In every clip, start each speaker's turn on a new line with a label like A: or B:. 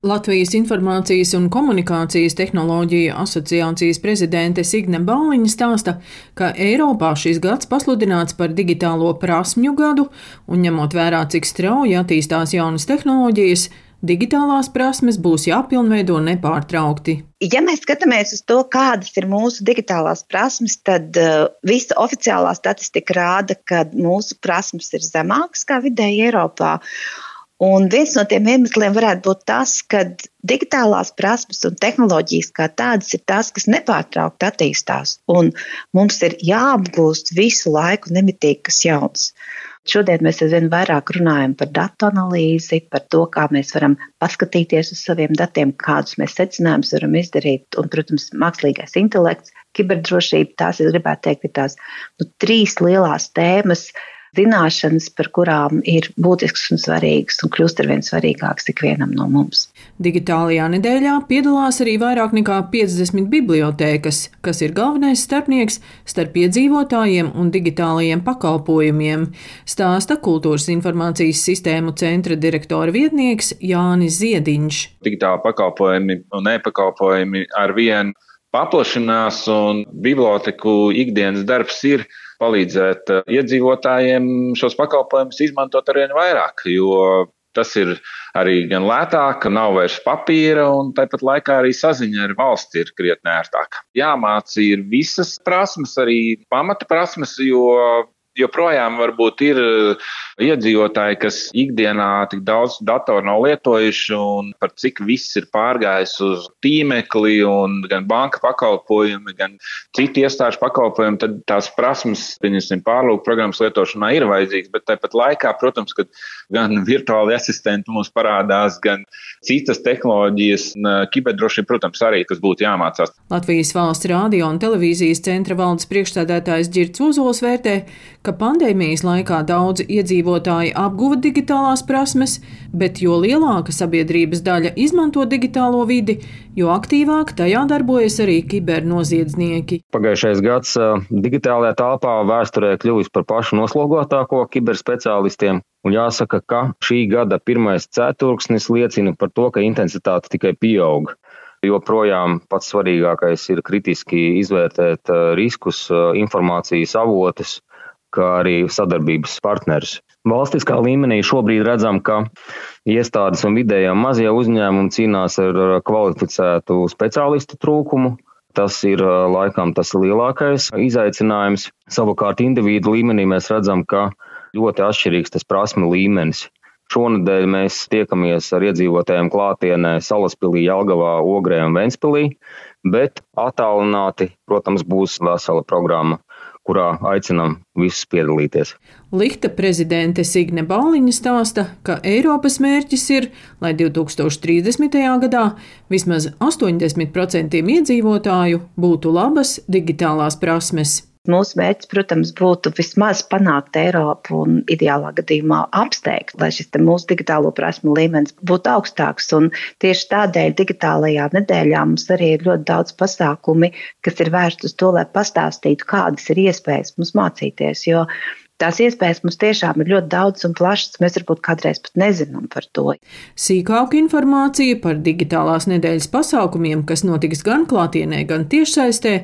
A: Latvijas Informācijas un komunikācijas tehnoloģiju asociācijas prezidente Signe Bāliņa stāsta, ka Eiropā šis gads pasludināts par digitālo prasmju gadu, un ņemot vērā, cik strauji attīstās jaunas tehnoloģijas, digitālās prasmes būs jāpilnveido nepārtraukti.
B: Ja mēs skatāmies uz to, kādas ir mūsu digitālās prasmes, tad visa oficiālā statistika rāda, ka mūsu prasmes ir zemākas kā vidēji Eiropā. Un viens no tiem iemesliem varētu būt tas, ka digitālās prasmes un tehnoloģijas kā tādas ir tās, kas nepārtraukti attīstās. Un mums ir jāapgūst visu laiku nemitīgi kas jauns. Šodien mēs aizvien vairāk runājam par datu analīzi, par to, kā mēs varam paskatīties uz saviem datiem, kādus mēs secinājumus varam izdarīt. Un, protams, mākslīgais intelekts, kiberdrošība, tās, es gribētu teikt, ir tās trīs lielās tēmas, zināšanas, par kurām ir būtisks un svarīgs un kļūst arvien svarīgāks ikvienam no mums.
A: Digitālajā nedēļā piedalās arī vairāk nekā 50 bibliotēkas, kas ir galvenais starpnieks starp iedzīvotājiem un digitālajiem pakalpojumiem, stāsta Kultūras informācijas sistēmu centra direktora vietnieks Jānis Ziediņš.
C: Digitāli pakalpojumi un e-pakalpojumi arvien paplašinās, un biblioteku ikdienas darbs ir palīdzēt iedzīvotājiem šos pakalpojumus izmantot arvien vairāk, jo tas ir arī gan lētāk, nav vairs papīra, un tāpat laikā arī saziņa ar valsti ir krietni ērtāka. Jāmāca ir visas prasmes, arī pamata prasmes, jo joprojām varbūt ir iedzīvotāji, kas ikdienā tik daudz datoru nav lietojuši, un par cik viss ir pārgājis uz tīmekli, un gan banka pakalpojumi, gan citi iestāžu pakalpojumi, tad tās prasmes, pieņemsim, pārlūku programmas lietošanā ir vajadzīgas, bet tāpat laikā, protams, kad gan virtuāli asistenti mums parādās, gan citas tehnoloģijas, kiberdrošība, protams, arī tas būtu jāmācās.
A: Latvijas Valsts radio un televīzijas centra valdes priekšsēdētājs Ģirds Ozols vērtē, ka pandēmijas laikā daudzi iedzīvotāji apguva digitālās prasmes, bet jo lielāka sabiedrības daļa izmanto digitālo vidi, jo aktīvāk tajā darbojas arī kibernoziedznieki.
D: Pagājušais gads digitālajā telpā vēsturē kļuvis par pašu noslogotāko kiberspeciālistiem, un jāsaka, ka šī gada pirmais ceturksnis liecina par to, ka intensitāte tikai pieaug. Joprojām pats svarīgākais ir kritiski izvērtēt riskus, informācijas avotus, kā arī sadarbības partnerus. Valstiskā līmenī šobrīd redzam, ka iestādes un vidējie un mazie uzņēmumi cīnās ar kvalificētu speciālistu trūkumu. Tas ir laikam tas lielākais izaicinājums. Savukārt individu līmenī mēs redzam, ka ļoti atšķirīgs tas prasmu līmenis. Šonedēļ mēs tiekamies ar iedzīvotājiem klātienē Salaspilī, Jelgavā, Ogrē un Ventspilī, bet attālināti, protams, būs vesela programma, kurā aicinām visus piedalīties.
A: Lihta prezidente Signe Bāliņa stāsta, ka Eiropas mērķis ir, lai 2030. gadā vismaz 80% iedzīvotāju būtu labas digitālās prasmes.
B: Mūsu mērķis, protams, būtu vismaz panākt Eiropu un ideālā gadījumā apsteigt, lai šis mūsu digitālo prasmu līmenis būtu augstāks. Un tieši tādēļ digitālajā nedēļā mums arī ir ļoti daudz pasākumi, kas ir vērsti uz to, lai pastāstītu, kādas ir iespējas mums mācīties, jo tās iespējas mums tiešām ir ļoti daudz un plašas, mēs varbūt kādreiz pat nezinām par to.
A: Sīkāku informāciju par digitālās nedēļas pasākumiem, kas notiks gan klātienē, gan tiešsaistē,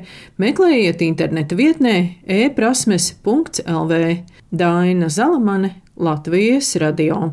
A: meklējiet interneta vietnē e-prasmes.lv. Daina Zalamane, Latvijas radio.